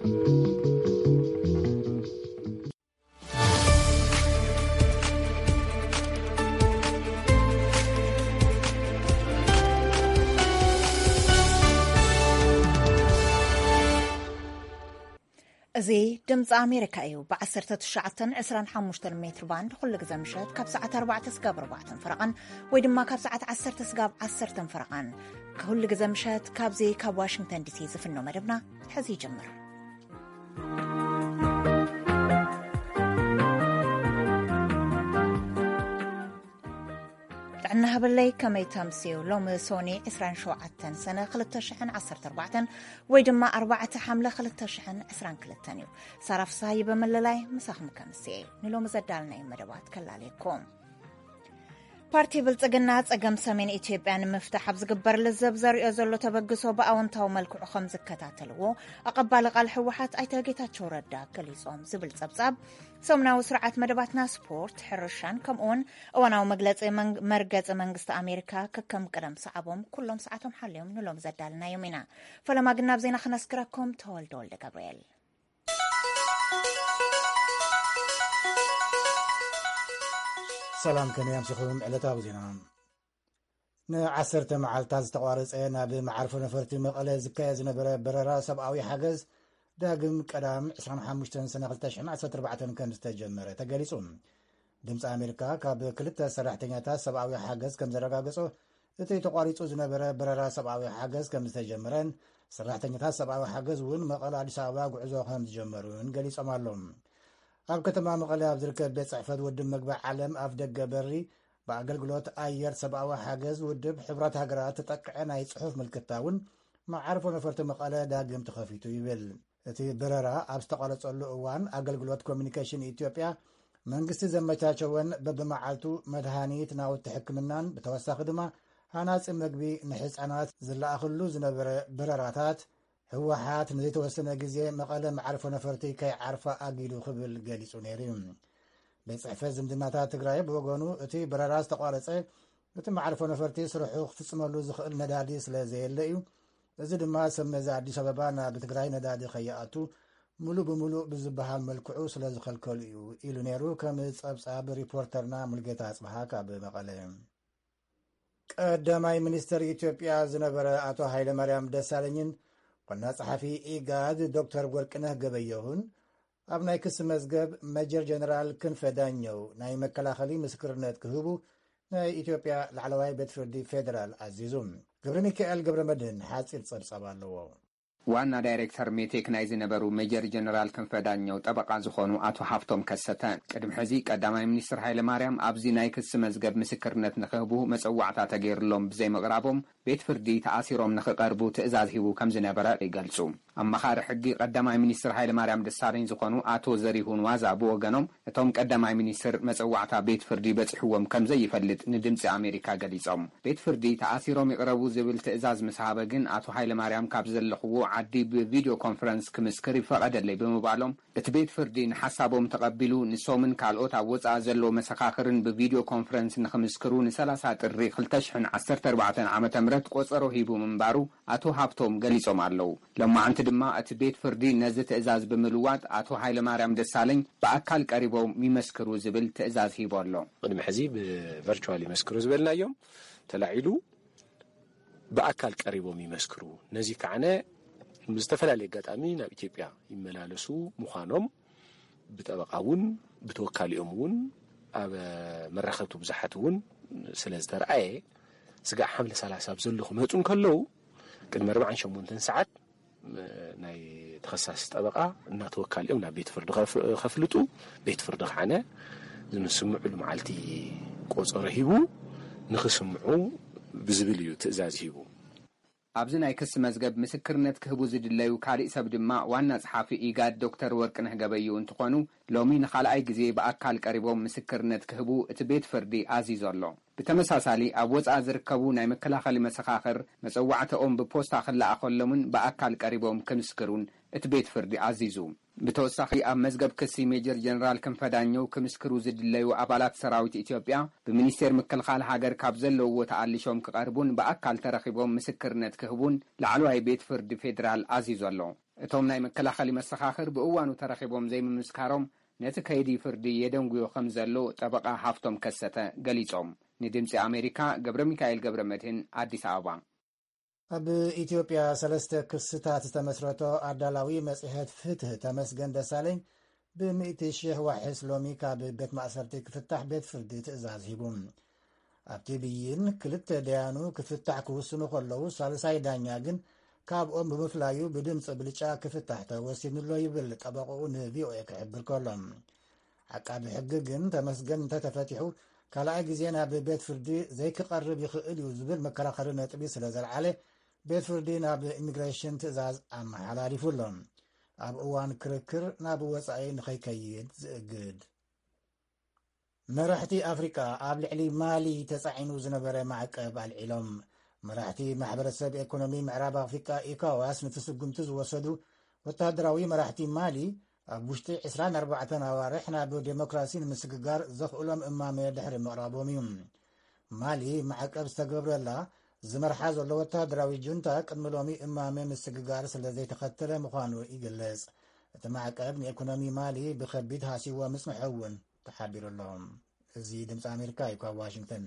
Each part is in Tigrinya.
እዚ ድምፂ ኣሜሪካ እዩ። ብ19፣ 25 ሜትር ባንድ ኩሉ ግዜ ምሸት ካብ ሰዓት ኣርባዕተ ስጋብ ኣርባዕተን ፈረቓን ወይ ድማ ካብ ሰዓት ዓሰርተ ስጋብ ዓሰርተን ፈረቓን ኩሉ ግዜ ምሸት ካብዚ ካብ ዋሽንግተን ዲሲ ዝፍኖ መደብና ሕዚ ይጅምር። ጥዕና ሃበለይ፣ ከመይ ተምስዩ? ሎሚ ሶኒ ዕስራን ሸውዓተን ሰነ ክልተ ሽሕን ዓሰርተ ኣርባዕተን ወይ ድማ ኣርባዕተ ሓምለ ክልተ ሽሕን ዕስራን ክልተን እዩ። ሳራ ፍስሃየ በመለላይ ምሳኹም ከምስየ። ንሎሚ ዘዳልናዮ መደባት ከላለየኩም። ፓርቲ ብልጽግና ጸገም ሰሜን ኢትዮጵያ ንምፍታሕ ኣብ ዝግበር ልዘብ ዘርእዮ ዘሎ ተበግሶ ብኣወንታዊ መልክዑ ከም ዝከታተልዎ ኣቐባሊ ቃል ህወሓት ኣይተ ጌታቸው ረዳ ገሊጾም ዝብል ጸብጻብ ሰሙናዊ ስርዓት መደባትና ስፖርት፣ ሕርሻን ከምኡውን እዋናዊ መግለጺ መርገጺ መንግስቲ ኣሜሪካ ከከም ቅደም ሰዓቦም ኩሎም ሰዓቶም ሓልዮም ንሎም ዘዳልናዮም ኢና። ፈለማ ግን ናብ ዜና ክነስግረኩም ተወልደ ወልደ ገብርኤል። ሰላም ከመይ ኣምሲኹም ዕለታዊ ዜና። ንዓሰርተ መዓልታት ዝተቋረጸ ናብ መዓርፎ ነፈርቲ መቐለ ዝካየድ ዝነበረ በረራ ሰብኣዊ ሓገዝ ዳግም ቀዳም ዕስራን ሓሙሽተን ሰነ ክልተ ሽሕን ዓሰርተ ኣርባዕተን ከም ዝተጀመረ ተገሊጹ። ድምፂ ኣሜሪካ ካብ ክልተ ሰራሕተኛታት ሰብኣዊ ሓገዝ ከም ዘረጋገጾ እቲ ተቋሪጹ ዝነበረ በረራ ሰብኣዊ ሓገዝ ከም ዝተጀመረን ሰራሕተኛታት ሰብኣዊ ሓገዝ እውን መቐለ ኣዲስ ኣበባ ጉዕዞ ከም ዝጀመሩን ገሊጾም ኣለዉ። ኣብ ከተማ መቐለ ኣብ ዝርከብ ቤት ጽሕፈት ውድብ መግቢ ዓለም ኣፍ ደገ በሪ ብኣገልግሎት ኣየር ሰብኣዊ ሓገዝ ውድብ ሕቡራት ሃገራት ተጠቅዐ ናይ ጽሑፍ ምልክታ እውን መዓርፎ ነፈርቲ መቐለ ዳግም ተኸፊቱ ይብል። እቲ በረራ ኣብ ዝተቋረጸሉ እዋን ኣገልግሎት ኮሚኒኬሽን ኢትዮጵያ መንግስቲ ዘመቻቸወን በብመዓልቱ መድሃኒት፣ ናውቲ ሕክምናን ብተወሳኺ ድማ ሃናጺ መግቢ ንሕፃናት ዝለኣኽሉ ዝነበረ በረራታት ህወሓት ንዘይተወሰነ ግዜ መቐለ መዓርፎ ነፈርቲ ከይዓርፋ ኣጊዱ ክብል ገሊጹ ነይሩ እዩ። ቤት ጽሕፈት ዝምድናታት ትግራይ ብወገኑ እቲ በረራ ዝተቋረጸ እቲ መዓርፎ ነፈርቲ ስርሑ ክፍጽመሉ ዝኽእል ነዳዲ ስለ ዘየለ እዩ። እዚ ድማ ሰብ መዚ ኣዲስ ኣበባ ናብ ትግራይ ነዳዲ ከይኣቱ ሙሉእ ብሙሉእ ብዝበሃል መልክዑ ስለ ዝኸልከሉ እዩ ኢሉ ነይሩ። ከም ጸብጻብ ሪፖርተርና ሙልጌታ ኣጽብሃ ካብ መቐለ። ቀዳማይ ሚኒስተር ኢትዮጵያ ዝነበረ ኣቶ ሃይለማርያም ደሳለኝን ዋና ጸሓፊ ኢጋድ ዶክተር ወርቅነህ ገበየሁን ኣብ ናይ ክሲ መዝገብ ሜጀር ጀነራል ክንፈ ዳኘው ናይ መከላኸሊ ምስክርነት ክህቡ ናይ ኢትዮጵያ ላዕለዋይ ቤት ፍርዲ ፌደራል ኣዚዙ። ገብረ ሚካኤል ገብረ መድህን ሓጺር ጸብጻብ ኣለዎ። ዋና ዳይሬክተር ሜቴክ ናይ ዝነበሩ ሜጀር ጀነራል ክንፈ ዳኘው ጠበቓ ዝኾኑ ኣቶ ሃፍቶም ከሰተ፣ ቅድሚ ሕዚ ቀዳማይ ሚኒስትር ሃይለ ማርያም ኣብዚ ናይ ክሲ መዝገብ ምስክርነት ንክህቡ መጸዋዕታ ተገይርሎም ብዘይምቕራቦም ቤት ፍርዲ ተኣሲሮም ንክቐርቡ ትእዛዝ ሂቡ ከም ዝነበረ ይገልጹ። ኣማኻሪ ሕጊ ቀዳማይ ሚኒስትር ሃይለ ማርያም ደሳለኝ ዝኾኑ ኣቶ ዘሪሁን ዋዛ ብወገኖም፣ እቶም ቀዳማይ ሚኒስትር መጸዋዕታ ቤት ፍርዲ በጺሕዎም ከም ዘይፈልጥ ንድምጺ ኣሜሪካ ገሊጾም። ቤት ፍርዲ ተኣሲሮም ይቕረቡ ዝብል ትእዛዝ ምስ ሃበ ግን ኣቶ ሃይለ ማርያም ካብ ዘለኽዎ ዓዲ ብቪድዮ ኮንፈረንስ ክምስክር ይፈቐደለይ ብምባሎም፣ እቲ ቤት ፍርዲ ንሓሳቦም ተቐቢሉ ንሶምን ካልኦት ኣብ ወጻኢ ዘለዉ መሰኻኽርን ብቪድዮ ኮንፈረንስ ንክምስክሩ ንሰላሳ ጥሪ ክልተ ሽሕን ዓሰርተ ኣርባዕተን ዓመተ ምህረት ቆጸሮ ሂቡ ምንባሩ ኣቶ ሃብቶም ገሊጾም ኣለዉ። ሎማዕንቲ ድማ እቲ ቤት ፍርዲ ነዚ ትእዛዝ ብምልዋጥ ኣቶ ሃይለማርያም ደሳለኝ ብኣካል ቀሪቦም ይመስክሩ ዝብል ትእዛዝ ሂቡ ኣሎ። ቅድሚ ሕዚ ብቨርቹዋል ይመስክሩ ዝበልናዮም ተላዒሉ ብኣካል ቀሪቦም ይመስክሩ። ነዚ ከዓነ ብዝተፈላለየ ኣጋጣሚ ናብ ኢትዮጵያ ይመላለሱ ምዃኖም ብጠበቃ እውን ብተወካሊኦም እውን ኣብ መራኸብቲ ብዙሓት እውን ስለ ዝተረኣየ፣ ስጋዕ ሓምለ ሰላሳ ኣብ ዘሎ ክመፁ እንከለዉ ቅድሚ ኣርባዓን ሸሞንተን ሰዓት ናይ ተኸሳሲ ጠበቃ እናተወካሊኦም ናብ ቤት ፍርዲ ከፍ-፣ ከፍልጡ፣ ቤት ፍርዲ ከዓነ ዝምስምዕሉ መዓልቲ ቆፀሮ ሂቡ ንክስምዑ ብዝብል እዩ ትእዛዝ ሂቡ። ኣብዚ ናይ ክሲ መዝገብ ምስክርነት ክህቡ ዝድለዩ ካሊእ ሰብ ድማ ዋና ጸሓፊ ኢጋድ ዶክተር ወርቅነህ ገበየሁ እንትኾኑ፣ ሎሚ ንኻልኣይ ግዜ ብኣካል ቀሪቦም ምስክርነት ክህቡ እቲ ቤት ፍርዲ ኣዚዙ ኣሎ። ብተመሳሳሊ፣ ኣብ ወጻኢ ዝርከቡ ናይ መከላኸሊ መሰኻኽር መጸዋዕታኦም ብፖስታ ክለኣኸሎምን ብኣካል ቀሪቦም ክምስክሩን እቲ ቤት ፍርዲ ኣዚዙ። ብተወሳኺ፣ ኣብ መዝገብ ክሲ ሜጀር ጀነራል ክንፈ ዳኘው ክምስክሩ ዝድለዩ ኣባላት ሰራዊት ኢትዮጵያ፣ ብሚኒስቴር ምክልኻል ሃገር ካብ ዘለውዎ ተኣሊሾም ክቐርቡን ብኣካል ተረኺቦም ምስክርነት ክህቡን ላዕለዋይ ቤት ፍርዲ ፌዴራል ኣዚዙ ኣሎ። እቶም ናይ መከላኸሊ መሰኻኽር ብእዋኑ ተረኺቦም ዘይምምስካሮም ነቲ ከይዲ ፍርዲ የደንጉዮ ከም ዘሎ ጠበቓ ሃፍቶም ከሰተ ገሊጾም። ንድምጺ ኣሜሪካ ገብረ ሚካኤል ገብረ መድህን፣ ኣዲስ ኣበባ። ኣብ ኢትዮጵያ ሰለስተ ክስታት ዝተመስረቶ ኣዳላዊ መጽሔት ፍትህ ተመስገን ደሳለኝ ብሚእቲ ሺሕ ዋሕስ ሎሚ ካብ ቤት ማእሰርቲ ክፍታሕ ቤት ፍርዲ ትእዛዝ ሂቡ። ኣብቲ ብይን ክልተ ደያኑ ክፍታሕ ክውስኑ ከለዉ፣ ሳልሳይ ዳኛ ግን ካብኦም ብምፍላዩ ብድምፂ ብልጫ ክፍታሕ ተወሲኑሎ ይብል ጠበቕኡ ንቪኦኤ ክሕብር ከሎ። ዓቃቢ ሕጊ ግን ተመስገን እንተተፈቲሑ ካልኣይ ግዜ ናብ ቤት ፍርዲ ዘይክቐርብ ይኽእል እዩ ዝብል መከራኸሪ ነጥቢ ስለ ዘልዓለ፣ ቤት ፍርዲ ናብ ኢሚግሬሽን ትእዛዝ ኣመሓላሊፉ ኣሎ። ኣብ እዋን ክርክር ናብ ወጻኢ ንኸይከይድ ዝእግድ። መራሕቲ ኣፍሪቃ ኣብ ልዕሊ ማሊ ተጻዒኑ ዝነበረ ማዕቀብ ኣልዒሎም። መራሕቲ ማሕበረሰብ ኤኮኖሚ ምዕራብ ኣፍሪቃ ኢኮዋስ ነቲ ስጉምቲ ዝወሰዱ ወተሃደራዊ መራሕቲ ማሊ ኣብ ውሽጢ ዕስራን ኣርባዕተን ኣዋርሕ ናብ ዴሞክራሲ ንምስግጋር ዘኽእሎም እማመ ድሕሪ ምቕራቦም እዩ። ማሊ ማዕቀብ ዝተገብረላ ዝመርሓ ዘሎ ወተሃደራዊ ጁንታ ቅድሚ ሎሚ እማመ ምስግጋር ስለ ዘይተኸተለ ምዃኑ ይግለጽ። እቲ ማዕቀብ ንኤኮኖሚ ማሊ ብኸቢድ ሃሲዎ ምጽንሖ እውን ተሓቢሩ ኣሎ። እዚ ድምፂ ኣሜሪካ እዩ ካብ ዋሽንግተን።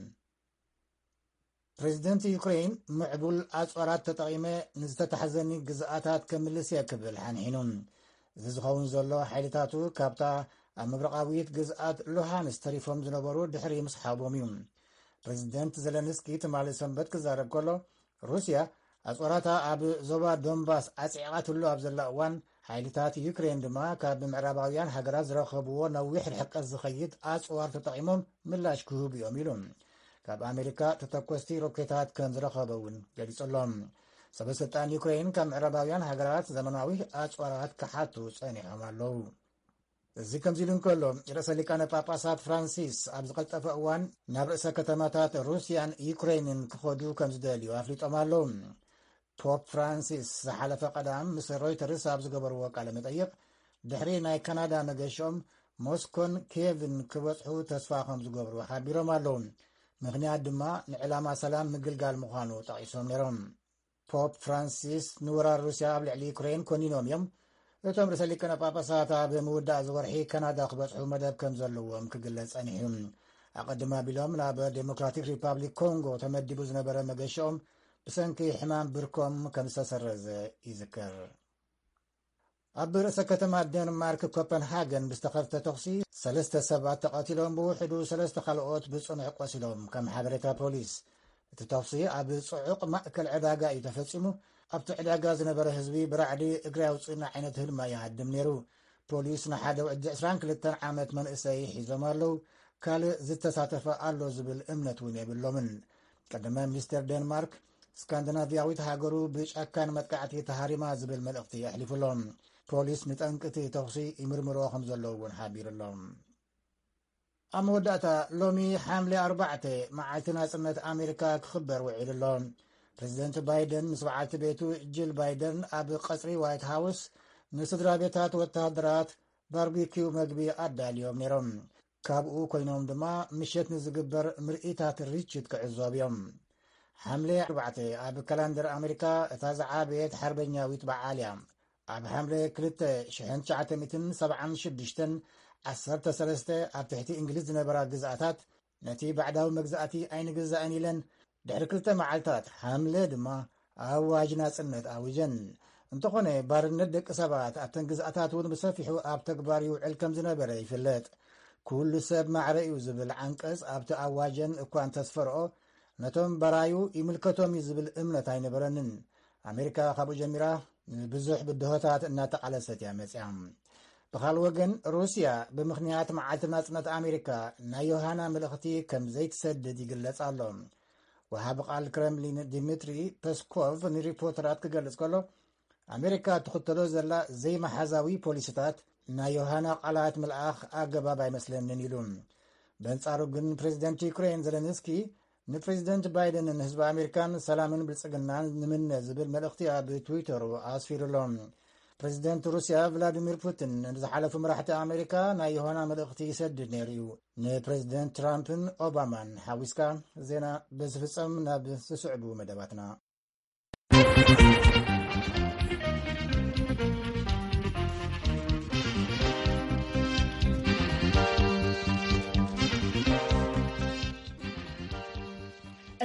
ፕሬዚደንት ዩክሬን ምዕቡል ኣፅዋራት ተጠቒመ ንዝተታሕዘኒ ግዝኣታት ከምልስ እየ ክብል ሓንሒኑ። እዚ ዝኸውን ዘሎ ሓይልታቱ ካብታ ኣብ ምብራቓዊት ግዝኣት ሉሃንስ ተሪፎም ዝነበሩ ድሕሪ ምስሓቦም እዩ። ፕሬዚደንት ዘለንስኪ ትማሊ ሰንበት ክዛረብ ከሎ፣ ሩስያ ኣፅዋራታ ኣብ ዞባ ዶንባስ ኣፅዒቓትሉ ኣብ ዘላ እዋን፣ ሓይልታት ዩክሬን ድማ ካብ ምዕራባውያን ሃገራት ዝረኸብዎ ነዊሕ ርሕቀት ዝኸይድ ኣፅዋር ተጠቒሞም ምላሽ ክህቡ እዮም ኢሉ። ካብ ኣሜሪካ ተተኮስቲ ሮኬታት ከም ዝረኸበ እውን ገሊጹ ኣሎ። ሰበ ስልጣን ዩክሬን ካብ ምዕራባውያን ሃገራት ዘመናዊ ኣፅዋራት ክሓቱ ጸኒሖም ኣለዉ። እዚ ከምዚ ኢሉ እንከሎ፣ ርእሰ ሊቃነ ጳጳሳት ፍራንሲስ ኣብ ዝቐልጠፈ እዋን ናብ ርእሰ ከተማታት ሩስያን ዩክሬንን ክኸዱ ከም ዝደልዩ ኣፍሊጦም ኣለዉ። ፖፕ ፍራንሲስ ዝሓለፈ ቀዳም ምስ ሮይተርስ ኣብ ዝገበርዎ ቃለ መጠይቕ፣ ድሕሪ ናይ ካናዳ መገሽኦም ሞስኮን ኪየቭን ክበጽሑ ተስፋ ከም ዝገብሩ ሓቢሮም ኣለዉ። ምኽንያት ድማ ንዕላማ ሰላም ምግልጋል ምዃኑ ጠቒሶም ነይሮም። ፖፕ ፍራንሲስ ንወራር ሩስያ ኣብ ልዕሊ ዩክሬን ኮኒኖም እዮም። እቶም ርእሰ ሊቃነ ጳጳሳት ኣብ ምውዳእ እዚ ወርሒ ካናዳ ክበጽሑ መደብ ከም ዘለዎም ክግለጽ ጸኒሑ እዩ። ኣቐድም ኣቢሎም ናብ ዴሞክራቲክ ሪፓብሊክ ኮንጎ ተመዲቡ ዝነበረ መገሽኦም ብሰንኪ ሕማም ብርኮም ከም ዝተሰረዘ ይዝከር። ኣብ ርእሰ ከተማ ዴንማርክ ኮፐንሃገን ብዝተኸፍተ ተኹሲ ሰለስተ ሰባት ተቐቲሎም፣ ብውሕዱ ሰለስተ ካልኦት ብጽኑዕ ቆሲሎም፣ ከም ሓበሬታ ፖሊስ። እቲ ተኹሲ ኣብ ጽዑቕ ማእከል ዕዳጋ እዩ ተፈጺሙ። ኣብቲ ዕዳጋ ዝነበረ ህዝቢ ብራዕዲ እግሪ ኣውፅእና ዓይነት ህልማ ይሃድም ነይሩ። ፖሊስ ንሓደ ወዲ ዕስራን ክልተን ዓመት መንእሰይ ሒዞም ኣለዉ። ካልእ ዝተሳተፈ ኣሎ ዝብል እምነት እውን የብሎምን። ቀዳማይ ሚኒስተር ዴንማርክ፣ ስካንዲናቪያዊት ሃገሩ ብጨካን መጥቃዕቲ ተሃሪማ ዝብል መልእኽቲ ኣሕሊፉ ኣሎ። ፖሊስ ንጠንቂ እቲ ተኹሲ ይምርምሮ ከም ዘለዉ እውን ሓቢሩ ኣሎ። ኣብ መወዳእታ፣ ሎሚ ሓምለ ኣርባዕተ መዓልቲ ናጽነት ኣሜሪካ ክኽበር ውዒሉ ኣሎ። ፕሬዚደንት ባይደን ምስ በዓልቲ ቤቱ ጂል ባይደን ኣብ ቀጽሪ ዋይት ሃውስ ንስድራ ቤታት ወተሃደራት ባርቢኪው መግቢ ኣዳልዮም ነይሮም። ካብኡ ኮይኖም ድማ ምሸት ንዝግበር ምርኢታት ርችት ክዕዘቡ እዮም። ሓምለ ኣርባዕተ ኣብ ካላንደር ኣሜሪካ እታ ዝዓበየት ሓርበኛዊት በዓል እያ። ኣብ ሓምለ ክልተ ሽሕን ትሽዓተ ሚእትን ሰብዓን ሽዱሽተን ዓሰርተ ሰለስተ ኣብ ትሕቲ እንግሊዝ ዝነበራ ግዝኣታት ነቲ ባዕዳዊ መግዛእቲ ኣይንግዛእን ኢለን ድሕሪ ክልተ መዓልታት ሓምለ ድማ ኣዋጅ ናጽነት ኣዊጀን። እንተኾነ ባርነት ደቂ ሰባት ኣብተን ግዝኣታት እውን ብሰፊሑ ኣብ ተግባር ይውዕል ከም ዝነበረ ይፍለጥ። ኩሉ ሰብ ማዕረ እዩ ዝብል ዓንቀጽ ኣብቲ ኣዋጀን እኳ እንተስፈርኦ፣ ነቶም በራዩ ይምልከቶም እዩ ዝብል እምነት ኣይነበረንን። ኣሜሪካ ካብኡ ጀሚራ ንብዙሕ ብድሆታት እናተቓለሰት እያ መጽያ። ብኻል ወገን፣ ሩስያ ብምኽንያት መዓልቲ ናጽነት ኣሜሪካ ናይ ዮሃና መልእኽቲ ከም ዘይትሰድድ ይግለጽ ኣሎ። ወሃቢ ቃል ክረምሊን ዲሚትሪ ፐስኮቭ ንሪፖርተራት ክገልጽ ከሎ፣ ኣሜሪካ እትኽተሎ ዘላ ዘይመሓዛዊ ፖሊሲታት ናይ ዮሃና ቃላት ምልኣኽ ኣገባብ ኣይመስለንን ኢሉ። በንጻሩ ግን፣ ፕሬዚደንት ዩክሬን ዘለንስኪ ንፕሬዚደንት ባይደን ንህዝቢ ኣሜሪካን ሰላምን ብልጽግናን ንምነ ዝብል መልእኽቲ ኣብ ትዊተሩ ኣስፊሩ ኣሎ። ፕሬዚደንት ሩስያ ቭላዲሚር ፑቲን ንዝሓለፉ መራሕቲ ኣሜሪካ ናይ ዮሃና መልእኽቲ ይሰድድ ነይሩ እዩ። ንፕሬዚደንት ትራምፕን ኦባማን ሓዊስካ። ዜና በዚ ፍጸም። ናብ ዝስዕቡ መደባትና።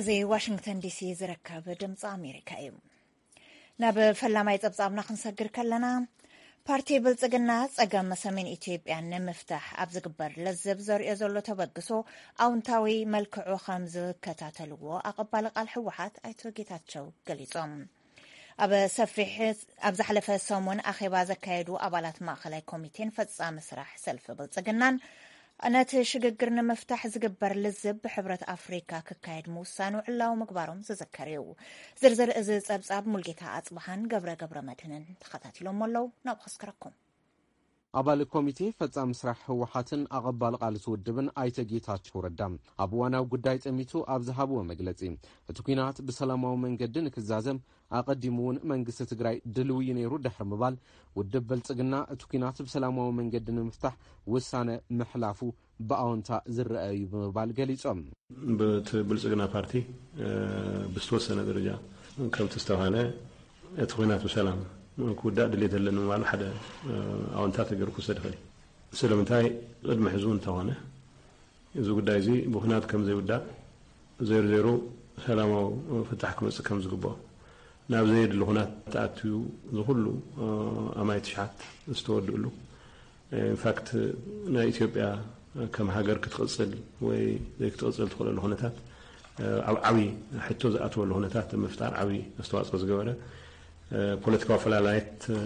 እዚ ዋሽንግተን ዲሲ ዝርከብ ድምፂ ኣሜሪካ እዩ። ናብ ፈላማይ ጸብጻብና ክንሰግር ከለና፣ ፓርቲ ብልጽግና ጸገም ሰሜን ኢትዮጵያ ንምፍታሕ ኣብ ዝግበር ለዘብ ዘርእዮ ዘሎ ተበግሶ ኣውንታዊ መልክዑ ከም ዝከታተልዎ ኣቐባሊ ቃል ህወሓት ኣይቶ ጌታቸው ገሊጾም። ኣብ ሰፊሕ ኣብ ዝሓለፈ ሰሙን ኣኼባ ዘካየዱ ኣባላት ማእኸላይ ኮሚቴን ፈጻሚ ስራሕ ሰልፊ ብልጽግናን፣ ነቲ ሽግግር ንምፍታሕ ዝግበር ልዝብ ብሕብረት ኣፍሪካ ክካየድ ምውሳኑ ዕላዊ ምግባሮም ዝዝከር እዩ። ዝርዝር እዚ ጸብጻብ ሙልጌታ ኣጽብሃን ገብረ ገብረ መድህንን ተኸታቲሎሞ ኣለዉ። ናብ ኸስከረኩም። ኣባል ኮሚቴ ፈጻሚ ስራሕ ህወሓትን ኣቐባል ቃልቲ ውድብን ኣይተ ጌታቸው ረዳ ኣብ እዋናዊ ጉዳይ ጠሚቱ ኣብ ዝሃብዎ መግለጺ፣ እቲ ኲናት ብሰላማዊ መንገዲ ንክዛዘም ኣቐዲሙ እውን መንግስቲ ትግራይ ድልው እዩ ነይሩ ድሕሪ ምባል፣ ውድብ ብልጽግና እቲ ኲናት ብሰላማዊ መንገዲ ንምፍታሕ ውሳነ ምሕላፉ ብኣወንታ ዝረአ እዩ ብምባል ገሊጾም። ብቲ ብልጽግና ፓርቲ፣ እ፣ ብዝተወሰነ ደረጃ ከምቲ ዝተባሃለ እቲ ኲናት ብሰላም ክውዳእ ድሌት ኣለኒ ምባሉ ሓደ፣ እ፣ ኣወንታ ተገይሩ ክውሰድ ይኽእል እዩ። ስለምንታይ ቅድሚ ሕዚ እውን እንተኾነ እዚ ጉዳይ እዚ ብኹናት ከም ዘይውዳእ፣ ዘይሩ ዘይሩ ሰላማዊ ፍታሕ ክመጽእ ከም ዝግብኦ፣ ናብ ዘየድሊ ኩናት ተኣትዩ ዝኹሉ፣ እ፣ ኣማይ ትሽዓት ዝተወድእሉ፣ ኢንፋክት ናይ ኢትዮጵያ ከም ሃገር ክትቕጽል ወይ ዘይክትቕጽል ትኽእለሉ ኩነታት፣ እ፣ ኣብ ዓብዪ ሕቶ ዝኣትወሉ ኩነታት ምፍጣር ዓብዪ ኣስተዋፅኦ ዝገበረ፣ እ፣ ፖለቲካዊ ኣፈላላየት፣ እ፣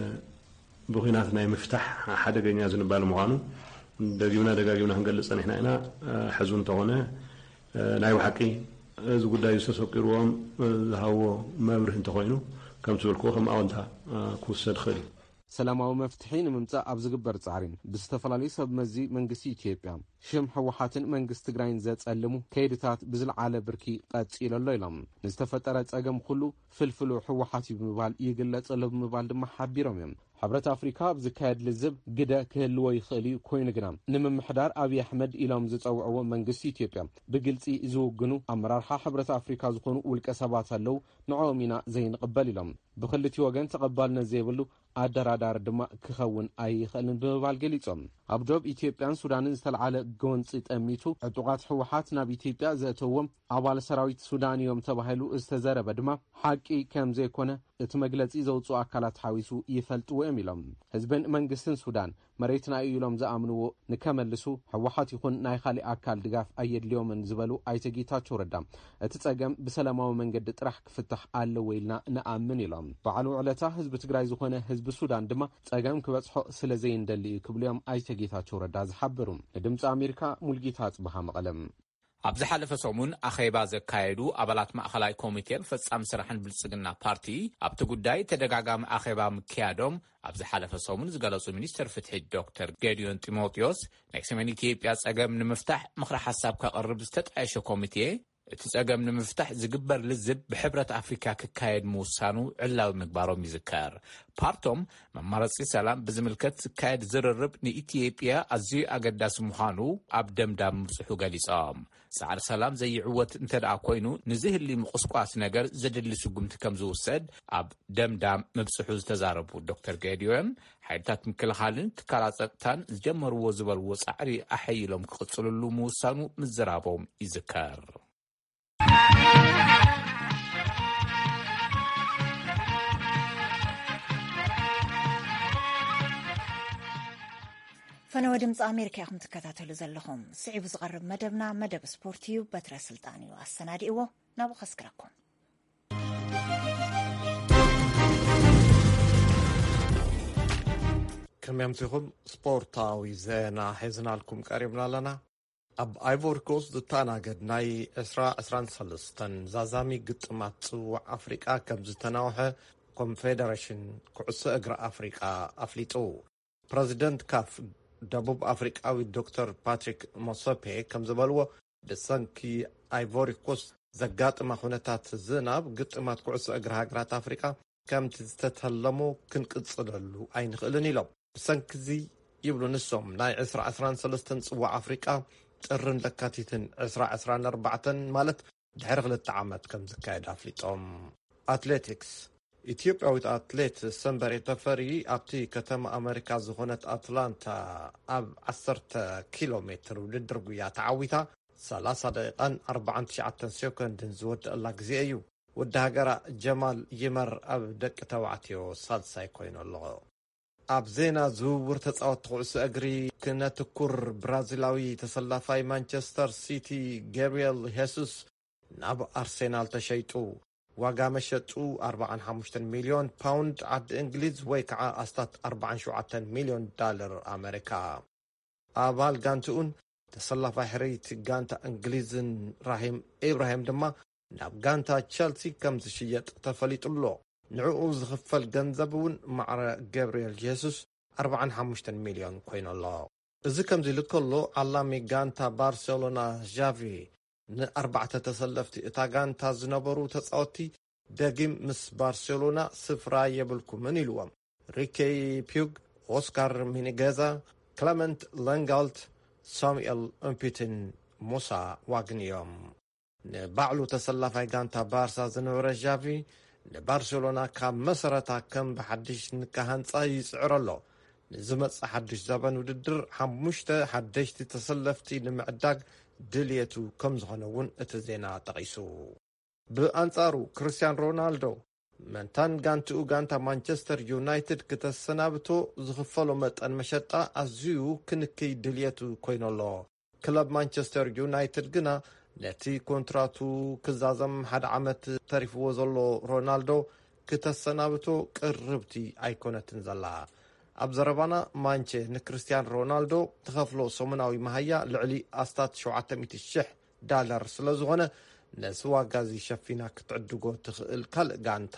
ብኹናት ናይ ምፍታሕ ሓደገኛ ዝንባለ ምዃኑ ደጊምና ደጋጊምና ክንገልጽ ጸኒሕና ኢና። እ፣ ሕዚ እውን እንተኾነ፣ እ፣ ናይ ብሓቂ እዚ ጉዳይ ዝተሰቂርዎም፣ እ፣ ዝሃብዎ መብርህ እንተኾይኑ፣ ከም ትብልክዎ ከም ኣወንታ፣ እ፣ ክውሰድ ይኽእል እዩ። ሰላማዊ መፍትሒ ንምምጻእ ኣብ ዝግበር ጻዕሪ፣ ብዝተፈላለዩ ሰብ መዚ መንግስቲ ኢትዮጵያ፣ ሽም ህወሓትን መንግስቲ ትግራይን ዘጸልሙ ከይድታት ብዝለዓለ ብርኪ ቀጺሉ ኣሎ ኢሎም። ንዝተፈጠረ ጸገም ኩሉ ፍልፍሉ ህወሓት እዩ ብምባል ይግለጽ ኣሎ ብምባል ድማ ሓቢሮም እዮም። ሕብረት ኣፍሪካ ኣብ ዝካየድ ልዝብ ግደ ክህልዎ ይኽእል እዩ፣ ኮይኑ ግና ንምምሕዳር ኣብይ ኣሕመድ ኢሎም ዝጸውዕዎ መንግስቲ ኢትዮጵያ ብግልጺ ዝውግኑ ኣመራርሓ ሕብረት ኣፍሪካ ዝኾኑ ውልቀ ሰባት ኣለዉ፣ ንዕኦም ኢና ዘይንቕበል ኢሎም። ብክልቲኡ ወገን ተቐባልነት ዘይብሉ ኣደራዳሪ ድማ ክኸውን ኣይኽእልን ብምባል ገሊጾም። ኣብ ዶብ ኢትዮጵያን ሱዳንን ዝተለዓለ ጎንፂ ጠሚቱ ዕጡቓት ህወሓት ናብ ኢትዮጵያ ዘእተዎም ኣባል ሰራዊት ሱዳን እዮም ተባሂሉ ዝተዘረበ ድማ ሓቂ ከም ዘይኮነ እቲ መግለፂ ዘውፅኡ ኣካላት ሓዊሱ ይፈልጥዎ እዮም ኢሎም። ህዝብን መንግስትን ሱዳን መሬትና እዩ ኢሎም ዝኣምንዎ ንከመልሱ ህወሓት ይኹን ናይ ካሊእ ኣካል ድጋፍ ኣየድልዮምን ዝበሉ ኣይተ ጌታቸው ረዳ፣ እቲ ጸገም ብሰላማዊ መንገዲ ጥራሕ ክፍታሕ ኣለዎ ኢልና ንኣምን ኢሎም። በዓል ውዕለታ ህዝቢ ትግራይ ዝኾነ ህዝቢ ሱዳን ድማ ጸገም ክበጽሖ ስለ ዘይንደሊ እዩ ክብሉ እዮም ኣይተ ጌታቸው ረዳ ዝሓበሩ። ንድምፂ ኣሜሪካ ሙልጌታ ኣጽብሃ መቐለም። ኣብ ዝሓለፈ ሰሙን ኣኼባ ዘካየዱ ኣባላት ማእኸላይ ኮሚቴን ፈጻሚ ስራሕን ብልጽግና ፓርቲ ኣብቲ ጉዳይ ተደጋጋሚ ኣኼባ ምክያዶም ኣብ ዝሓለፈ ሰሙን ዝገለጹ ሚኒስትር ፍትሒ ዶክተር ጌዲዮን ጢሞቴዎስ፣ ናይ ሰሜን ኢትዮጵያ ጸገም ንምፍታሕ ምኽሪ ሓሳብ ከቕርብ ዝተጣየሸ ኮሚቴ፣ እቲ ጸገም ንምፍታሕ ዝግበር ልዝብ ብሕብረት ኣፍሪካ ክካየድ ምውሳኑ ዕላዊ ምግባሮም ይዝከር። ፓርቶም መማረጺ ሰላም ብዝምልከት ዝካየድ ዝርርብ ንኢትዮጵያ ኣዝዩ ኣገዳሲ ምዃኑ ኣብ ደምዳም ምብጽሑ ገሊጾም። ጻዕሪ ሰላም ዘይዕወት እንተ ደኣ ኮይኑ፣ ንዝህሊ ምቁስቋስ ነገር ዘድሊ ስጉምቲ ከም ዝውሰድ ኣብ ደምዳም ምብጽሑ ዝተዛረቡ ዶክተር ጌዲዮን፣ ሓይልታት ምክልኻልን ትካላት ጸጥታን ዝጀመርዎ ዝበልዎ ጻዕሪ ኣሐይሎም ክቕጽልሉ ምውሳኑ ምዝራቦም ይዝከር። ፈነወ ድምፂ ኣሜሪካ ኢኹም ትከታተሉ ዘለኹም። ስዒቡ ዝቐርብ መደብና መደብ ስፖርት እዩ። በትረ ስልጣን እዩ ኣሰናዲእዎ። ናብኡ ከስክረኩም። ከመይ ኣምሲኹም? ስፖርታዊ ዜና ሒዝናልኩም ቀሪብና ኣለና። ኣብ ኣይቮሪ ኮስት ዝተኣናገድ ናይ ዕስራ ዕስራን ሰለስተን ዛዛሚ ግጥማት ጽዋዕ ኣፍሪቃ ከም ዝተናውሐ ኮንፌደሬሽን ኩዕሶ እግሪ ኣፍሪቃ ኣፍሊጡ። ፕረዚደንት ካፍ ደቡብ ኣፍሪቃዊ ዶክተር ፓትሪክ ሞሰፔ ከም ዝበልዎ፣ ብሰንኪ ኣይቮሪ ኮስት ዘጋጥማ ኩነታት ዝናብ፣ ግጥማት ኩዕሶ እግሪ ሃገራት ኣፍሪቃ ከምቲ ዝተተለሞ ክንቅጽለሉ ኣይንኽእልን ኢሎም። ብሰንኪ እዚ ይብሉ ንሶም፣ ናይ ዕስራ ዕስራን ሰለስተን ጽዋዕ ኣፍሪቃ ጥርን ለካቲትን ዕስራ ዕስራን ኣርባዕተን ማለት ድሕሪ ክልተ ዓመት ከም ዝካየድ ኣፍሊጦም። ኣትሌቲክስ። ኢትዮጵያዊት ኣትሌት ሰንበሬ ተፈሪ ኣብቲ ከተማ ኣመሪካ ዝኾነት ኣትላንታ ኣብ ዓሰርተ ኪሎ ሜትር ውድድር ጉያ ተዓዊታ ሰላሳ ደቂቃን ኣርባዓን ትሽዓተን ሴኮንድን ዝወደኣላ ግዜ እዩ። ወዲ ሃገራ ጀማል ይመር ኣብ ደቂ ተባዕትዮ ሳልሳይ ኮይኑ ኣሎ። ኣብ ዜና ዝውውር ተጻወትቲ ኩዕሶ እግሪ ክነትኩር፣ ብራዚላዊ ተሰላፋይ ማንቸስተር ሲቲ ገብርኤል ሄሱስ ናብ ኣርሴናል ተሸይጡ። ዋጋ መሸጡ ኣርባዓን ሓሙሽተን ሚልዮን ፓውንድ ዓዲ እንግሊዝ ወይ ከዓ ኣስታት ኣርባዓን ሸውዓተን ሚልዮን ዳለር ኣመሪካ። ኣባል ጋንትኡን ተሰላፋይ ሕርይቲ ጋንታ እንግሊዝን ራሂም ኢብራሂም ድማ ናብ ጋንታ ቸልሲ ከም ዝሽየጥ ተፈሊጡ ኣሎ። ንዕኡ ዝኽፈል ገንዘብ እውን ማዕረ ገብርኤል ጄሱስ ኣርባዓን ሓሙሽተን ሚልዮን ኮይኑ ኣሎ። እዚ ከምዚ ኢሉ ከሎ፣ ዓላሚ ጋንታ ባርሴሎና ዣቪ ንኣርባዕተ ተሰለፍቲ እታ ጋንታ ዝነበሩ ተጻወትቲ ደጊም ምስ ባርሴሎና ስፍራ የብልኩምን ኢልዎም። ሪኬ ፒዩግ፣ ኦስካር ሚኒጌዛ፣ ክለመንት ለንጋልት፣ ሳሙኤል ኡምፒትን ሙሳ ዋግን እዮም። ንባዕሉ ተሰላፋይ ጋንታ ባርሳ ዝነበረ ዣቪ፣ ንባርሴሎና ካብ መሰረታ ከም ብሓድሽ ንካሃንጻ ይጽዕር ኣሎ። ንዝመጽእ ሓድሽ ዘበን ውድድር ሓሙሽተ ሓደሽቲ ተሰለፍቲ ንምዕዳግ ድልየቱ ከም ዝኾነ እውን እቲ ዜና ጠቒሱ። ብኣንጻሩ፣ ክርስቲያን ሮናልዶ መንታን ጋንትኡ ጋንታ ማንቸስተር ዩናይትድ ክተሰናብቶ ዝኽፈሎ መጠን መሸጣ ኣዝዩ ክንክይ ድልየቱ ኮይኑ ኣሎ። ክለብ ማንቸስተር ዩናይትድ ግና ነቲ ኮንትራቱ ክዛዘም ሓደ ዓመት ተሪፍዎ ዘሎ ሮናልዶ ክተሰናብቶ ቅርብቲ ኣይኮነትን ዘላ። ኣብ ዘረባና፣ ማንቸ ንክርስቲያን ሮናልዶ ትኸፍሎ ሰሙናዊ መሃያ ልዕሊ ኣስታት ሸውዓተ ሚእቲ ሽሕ ዳለር ስለ ዝኾነ፣ ነዚ ዋጋ እዚ ሸፊና ክትዕድጎ ትኽእል ካልእ ጋንታ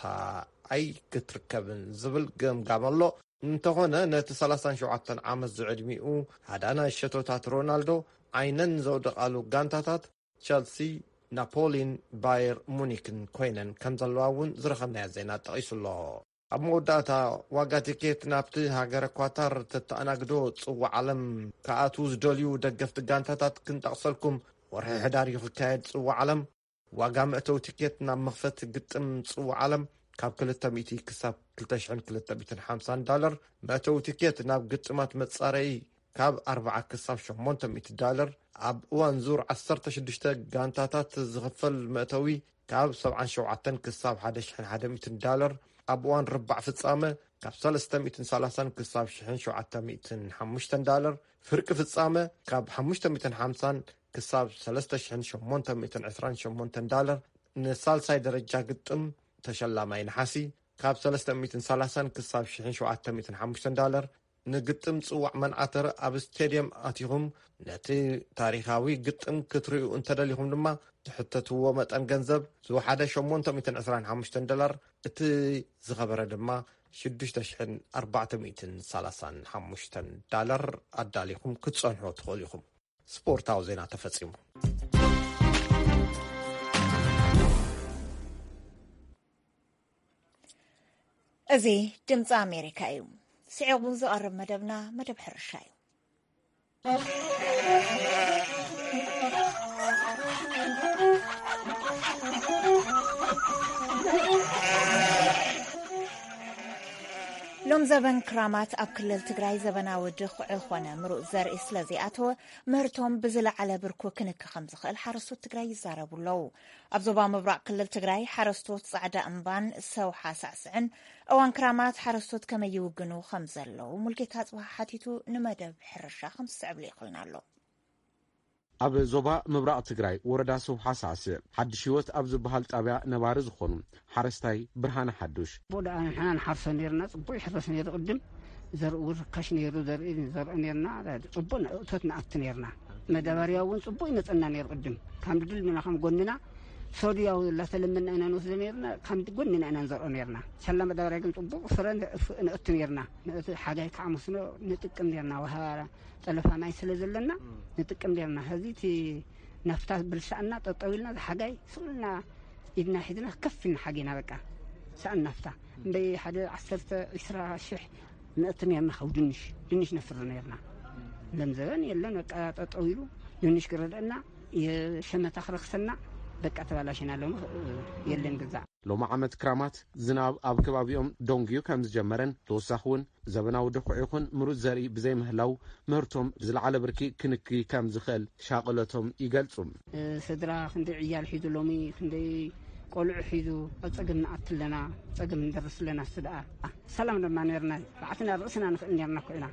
ኣይክትርከብን ዝብል ገምጋም ኣሎ። እንተኾነ፣ ነቲ ሰላሳን ሸውዓተን ዓመት ዝዕድሚኡ ሃዳናይ ሸቶታት ሮናልዶ ዓይነን ዘውደቓሉ ጋንታታት ቸልሲ፣ ናፖሊን ባየር ሙኒክን ኮይነን ከም ዘለዋ እውን ዝረኸብናዮ ዜና ጠቒሱ ኣሎ። ኣብ መወዳእታ፣ ዋጋ ቲኬት ናብቲ ሃገረ ኳታር ተተኣናግዶ ጽዋዕ ዓለም ክኣትዉ ዝደልዩ ደገፍቲ ጋንታታት ክንጠቕሰልኩም። ወርሒ ሕዳር እዩ ክካየድ ጽዋዕ ዓለም። ዋጋ መእተዊ ቲኬት ናብ መኽፈቲ ግጥም ጽዋዕ ዓለም ካብ ክልተ ሚእቲ ክሳብ ክልተ ሽሕን ክልተ ሚእትን ሓምሳን ዳለር፣ መእተዊ ቲኬት ናብ ግጥማት መጻረዪ ካብ ኣርባዓ ክሳብ ሸሞንተ ሚእቲ ዳለር፣ ኣብ እዋን ዙር ዓሰርተ ሽዱሽተ ጋንታታት ዝኽፈል መእተዊ ካብ ሰብዓን ሸውዓተን ክሳብ ሓደ ሽሕን ሓደ ሚእትን ዳለር፣ ኣብ እዋን ርባዕ ፍጻመ ካብ ሰለስተ ሚእትን ሰላሳን ክሳብ ሽሕን ሸውዓተ ሚእትን ሓሙሽተን ዳለር፣ ፍርቂ ፍጻመ ካብ ሓሙሽተ ሚእትን ሓምሳን ክሳብ ሰለስተ ሽሕን ሸሞንተ ሚእትን ዕስራን ሸሞንተን ዳለር፣ ንሳልሳይ ደረጃ ግጥም ተሸላማይ ነሓሲ ካብ ሰለስተ ሚእትን ሰላሳን ክሳብ ሽሕን ሸውዓተ ሚእትን ሓሙሽተን ዳለር፣ ንግጥም ጽዋዕ መንዓተር ኣብ ስቴድየም ኣቲኹም ነቲ ታሪኻዊ ግጥም ክትርእዩ እንተደሊኹም ድማ፣ ትሕተትዎ መጠን ገንዘብ ዝወሓደ ሸሞንተ ሚእትን ዕስራን ሓሙሽተን ዶላር፣ እቲ ዝኸበረ ድማ ሽዱሽተ ሽሕን ኣርባዕተ ሚእትን ሰላሳን ሓሙሽተን ዳላር ኣዳሊኹም ክትጸንሑ ትኽእሉ ኢኹም። ስፖርታዊ ዜና ተፈጺሙ። እዚ ድምፂ ኣሜሪካ እዩ። ስዒቡ ዝቐርብ መደብና መደብ ሕርሻ እዩ። ሎም ዘበን ክራማት ኣብ ክልል ትግራይ ዘበናዊ ድኹዒ ኾነ ምሩፅ ዘርኢ ስለ ዘይኣተወ፣ ምህርቶም ብዝለዓለ ብርኩ ክንክ ከም ዝኽእል ሓረስቶት ትግራይ ይዛረቡ ኣለዉ። ኣብ ዞባ ምብራቕ ክልል ትግራይ ሓረስቶት ጻዕዳ እምባን ሰውሓ ሳዕስዕን እዋን ክራማት ሓረስቶት ከመይ ይውግኑ ከም ዘለዉ ሙልጌታ ጽባሕ ሓቲቱ፣ ንመደብ ሕርሻ ከም ዝስዕብ ልኢኹልና ኣሎ። ኣብ ዞባ ምብራቕ ትግራይ ወረዳ ሰውሓ ሳዕስዕ ሓድሽ ህይወት ኣብ ዝበሃል ጣብያ ነባሪ ዝኾኑ ሓረስታይ ብርሃነ ሓዱሽ፣ ቦ ደኣ ንሕና ንሓርሶ ነይርና፣ ጽቡቕ ይሕረስ ነይሩ ቅድም። ዘርኡ ርካሽ ነይሩ፣ ዘርኢ ንዘርኦ ነይርና፣ ጽቡቕ እቶት ንኣቱ ነይርና። መዳበርያ እውን ጽቡቕ ይመጸና ነይሩ ቅድም። ካብ ድልድልና ከም ጎንና ሶድያው ላተለመና ኢና ንወስዶ ነይርና፣ ካብ ጎንና ኢና ንዘርኦ ነይርና። ሳላ መዳበርያ ግን ጽቡቕ ፍረ ንእፍ-፣ ንእቱ ነይርና። ንእቱ ሓጋይ ከዓ መስኖ ንጥቅም ነይርና። ወሃ ጠለፋ ማይ ስለ ዘለና ንጥቅም ነይርና። ሕዚ እቲ ናፍታ ብልሳእና ጠጠው ኢልና፣ ዝሓጋይ ስቕ ኢልና ኢድና ሒዝና ከፍ ኢልና ሓጊና በቃ። ሰኣን ናፍታ እምበይ ሓደ ዓሰርተ ዒስራ ሽሕ ንእቱ ነይርና። ካብ ድንሽ፣ ድንሽ ነፍሪ ነይርና። ሎም ዘበን የለን በቃ ጠጠው ኢሉ። ድንሽ ክረድአና፣ የሸመታ ክረክሰና፣ በቃ ተባላሽና ሎሚ የለን ግዛዕ። ሎሚ ዓመት ክራማት ዝናብ ኣብ ከባቢኦም ደንጉዩ ከም ዝጀመረን ተወሳኺ እውን ዘበናዊ ድኹዒ ይኹን ምሩፅ ዘርኢ ብዘይምህላው ምህርቶም ብዝለዓለ ብርኪ ክንኪ ከም ዝኽእል ሻቕለቶም ይገልፁ። ስድራ ክንደይ ዕያል ሒዙ ሎሚ ክንደይ ቆልዑ ሒዙ ኣብ ፀገም ንኣቱ ኣለና፣ ፀገም ንደርስ ኣለና። እሱ ደኣ ሰላም ድማ ነርና፣ ባዕትና ርእስና ንኽእል ነርና እኮ ኢና።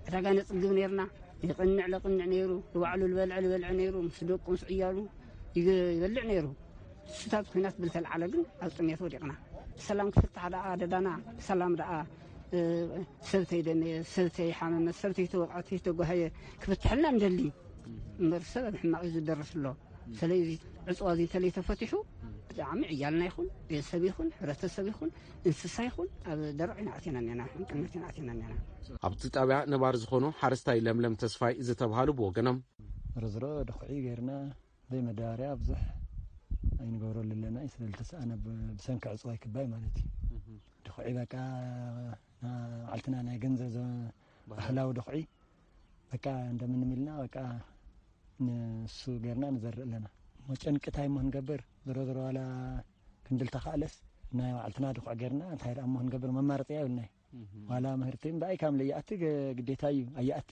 ዕዳጋ ነፅግብ ነርና። ይቕንዕ ለቕንዕ ነይሩ፣ ንባዕሉ ዝበልዐ ዝበልዐ ነይሩ፣ ምስ ደቁ ምስ ዕያሉ ይበልዕ ነይሩ። ስታት ኩናት ብልተልዓለ ግን ኣብ ጥሜት ወዲቕና። ሰላም ክፍታሕ ደኣ ደዳና ሰላም ደኣ፣ ሰብተይ ደነየ፣ ሰብተይ ሓመመት፣ ሰብተይ ተወቕዐት፣ ተጓሃየ ክፍትሐልና እንደሊ እምበር ሰብ ኣብ ሕማቕ እዩ ዝደርስ ኣሎ። ስለዚ ዕፅዋ እዚ እንተለይ ተፈቲሑ ብጣዕሚ ዕያልና ይኹን ቤተሰብ ይኹን ሕብረተሰብ ይኹን እንስሳ ይኹን ኣብ ደረቕ ኢና ኣቲና እኒና፣ ቅነት ኢና ኣቲና እኒና። ኣብቲ ጣብያ ነባሪ ዝኾኑ ሓረስታይ ለምለም ተስፋይ ዝተብሃሉ ብወገኖም፣ ርዝሮ ድኹዒ ገይርና ዘይመዳበርያ ብዙሕ ኣይንገብረሉ ኣለና እዩ፣ ስለ ዝተሰኣነ ብ- ብሰንኪ ዕፅዋይ ክባይ ማለት እዩ። ድኹዒ በቃ ና- ባዕልትና ናይ ገንዘብ ዘ- ባህላዊ ድኹዒ በቃ እንደምንም ኢልና በቃ ንሱ ገይርና ንዘርእ ኣለና። እሞ ጨንቂ እንታይ እሞ ክንገብር? ዝሮ ዝሮ ዋላ ክንድልተኻእለስ ናይ ባዕልትና ድኹዕ ገይርና እንታይ ደኣ እሞ ክንገብር? መማረፂ የብልናይ። ዋላ ምህርቲ እምበኣይ ካብ ለይኣቲ ገ- ግዴታ እዩ ኣይኣቲ።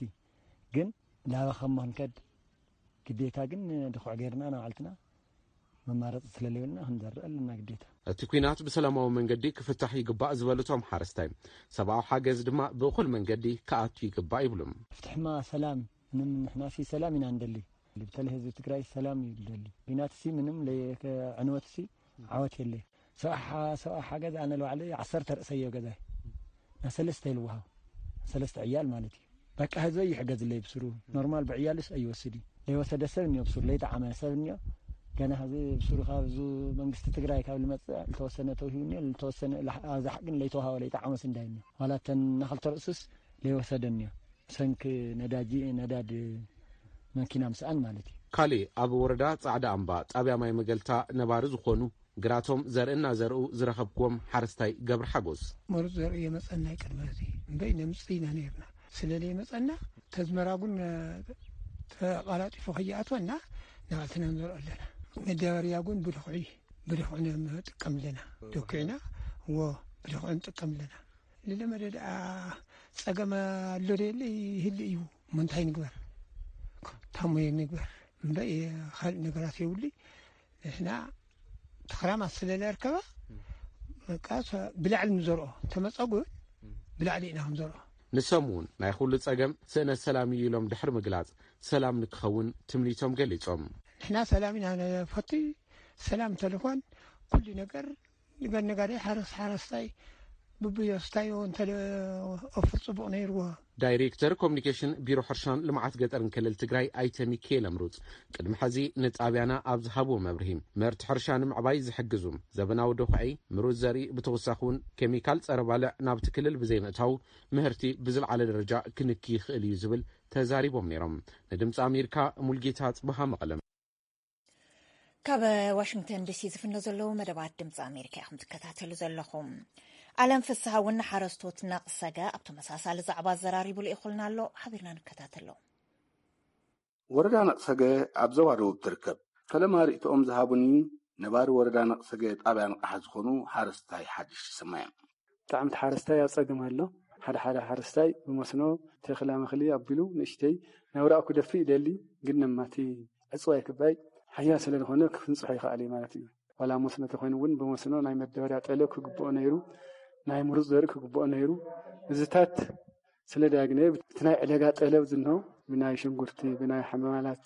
ግን ላበኸ እሞ ክንከድ ግዴታ ግን ድኹዕ ገይርና ንባዕልትና መማረፂ ስለለየብልና ክንዘርእ ኣለና ግዴታ። እቲ ኲናት ብሰላማዊ መንገዲ ክፍታሕ ይግባእ ዝበሉ እቶም ሓረስታይ፣ ሰብኣዊ ሓገዝ ድማ ብእኹል መንገዲ ክኣቱ ይግባእ ይብሉ። ፍትሕማ ሰላም፣ ምንም ንሕናሲ ሰላም ኢና ንደሊ። በተለይ ህዝቢ ትግራይ ሰላም እዩ ዝደሊ። ኲናትሲ ምንም ለየ- ዕንወትሲ ዓወት የለ። ሰብኣ ሓ- ሰብኣ ሓገዝ ኣነ ንባዕለይ ዓሰርተ ርእሰዮ ገዛይ ናሰለስተ ይልውሃው ሰለስተ ዕያል ማለት እዩ። በቃ ህዝበይ ይሕገዝለይ ብስሩ ኖርማል ብዕያልስ ኣይወስድ እዩ። ለይወሰደ ሰብ እኒዮ ብስሩ ለይጠዓመ ሰብ እኒዮ። ገና ሕዚ ብስሩ ካብ ዙ መንግስቲ ትግራይ ካብ ልመፅእ ልተወሰነ ተውሂቡ እኒዮ ልተወሰነ ኣብዛሕ ግን ለይተውሃበ ለይጠዓመስ እንዳይ እኒዮ ዋላ ተን ናክልተ ርእሱስ ለይወሰደ እኒዮ። ሰንክ ነዳጂ ነዳድ መኪና ምስኣን ማለት እዩ። ካሌ ኣብ ወረዳ ጻዕዳ ኣምባ ጣብያ ማይ መገልታ ነባሪ ዝኾኑ ግራቶም ዘርኢ እናዘርኡ ዝረኸብክዎም ሓረስታይ ገብረ ሓጎስ። መሩፅ ዘርኢ የመፀና ይቅድመ እዚ እምበይ ነምፅእ ኢና ነይርና። ስለለይመፀና ተዝመራ እውን ተቃላጢፎ ከይኣትወና ናባልትና ንዘርኦ ኣለና። መዳበርያ እውን ብድኩዒ ብድኩዒ ንጥቀም ኣለና። ደኩዕና እዎ ብድኩዒ ንጥቀም ኣለና። ንለመደ ደኣ ጸገም ኣሎ ደየለ ይህሉ እዩ። እሞ እንታይ ንግበር? ታሞ ንግበር እምበይ ካልእ ነገራት የብሉይ። ንሕና ተኽራማት ስለ ለርከባ በቃ ብላዕሊ ንዘርኦ ተመጸጉ ብላዕሊ ኢና ክንዘርኦ። ንሶም እውን ናይ ኩሉ ጸገም ስእነት ሰላም እዩ ኢሎም ድሕሪ ምግላጽ ሰላም ንክኸውን ትምኒቶም ገሊጾም። ንሕና ሰላም ኢና ንፈቱ። ሰላም እንተልኾን ኩሉ ነገር ንገር ነጋዴ ሓረስ ሓረስታይ ብብዮስታዮ እንተ ኣፍር ጽቡቕ ነይርዎ። ዳይሬክተር ኮሚኒኬሽን ቢሮ ሕርሻን ልምዓት ገጠርን ክልል ትግራይ ኣይተ ሚካኤል ኣምሩፅ ቅድሚ ሕዚ ንጣብያና ኣብ ዝሃብዎ መብርሂ ምህርቲ ሕርሻ ንምዕባይ ዝሕግዙ ዘበናዊ ዶኽዒ፣ ምሩፅ ዘርኢ ብተወሳኺ እውን ኬሚካል ፀረ ባልዕ ናብቲ ክልል ብዘይምእታው ምህርቲ ብዝለዓለ ደረጃ ክንኪ ይኽእል እዩ ዝብል ተዛሪቦም ነይሮም። ንድምፂ ኣሜሪካ ሙልጌታ ፅበሃ መቐለም። ካብ ዋሽንግተን ዲሲ ዝፍኖ ዘለዉ መደባት ድምፂ ኣሜሪካ ኢኹም ትከታተሉ ዘለኹም። ኣለም ፍስሃ እውን ንሓረስቶት ነቕሰገ ኣብ ተመሳሳሊ ዛዕባ ኣዘራሪቡ ልኢኹልና ኣሎ። ሓቢርና ንከታተሎ። ወረዳ ነቕሰገ ኣብ ዞባ ደቡብ ትርከብ። ፈለማ ርእይቶኦም ዝሃቡኒ ነባሪ ወረዳ ነቕሰገ ጣብያ ንቕሓ ዝኾኑ ሓረስታይ ሓድሽ ይስማ እዮም። ብጣዕሚ እቲ ሓረስታይ ኣብ ጸገም ኣሎ። ሓደ ሓደ ሓረስታይ ብመስኖ ተኽላ መኽሊ ኣቢሉ ንእሽተይ ናብራኡ ክደፍእ ይደሊ፣ ግን ነማቲ ዕጽዋይ ክባይ ሓያል ስለ ዝኾነ ክፍንጽሖ ይኽኣል እዩ ማለት እዩ። ዋላ መስኖ ተኾይኑ እውን ብመስኖ ናይ መዳበርያ ጠለብ ክግብኦ ነይሩ፣ ናይ ምሩፅ ዘርኢ ክግብኦ ነይሩ። እዚታት ስለ ዳግነ እቲ ናይ ዕደጋ ጠለብ ዝንሆ ብናይ ሽንጉርቲ፣ ብናይ ሓመማላት፣